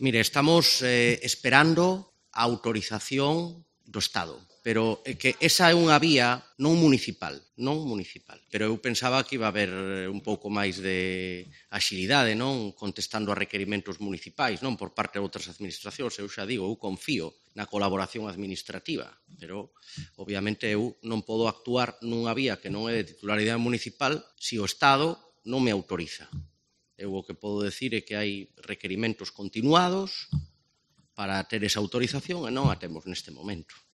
Mire, estamos esperando a autorización do Estado, pero é que esa é unha vía non municipal, pero eu pensaba que iba a haber un pouco máis de axilidade, non, contestando a requerimentos municipais, non, por parte de outras administracións. Eu xa digo, eu confío na colaboración administrativa, pero obviamente eu non podo actuar nunha vía que non é de titularidade municipal se o Estado non me autoriza. Eu o que podo decir é que hai requerimentos continuados para ter esa autorización e non a temos neste momento.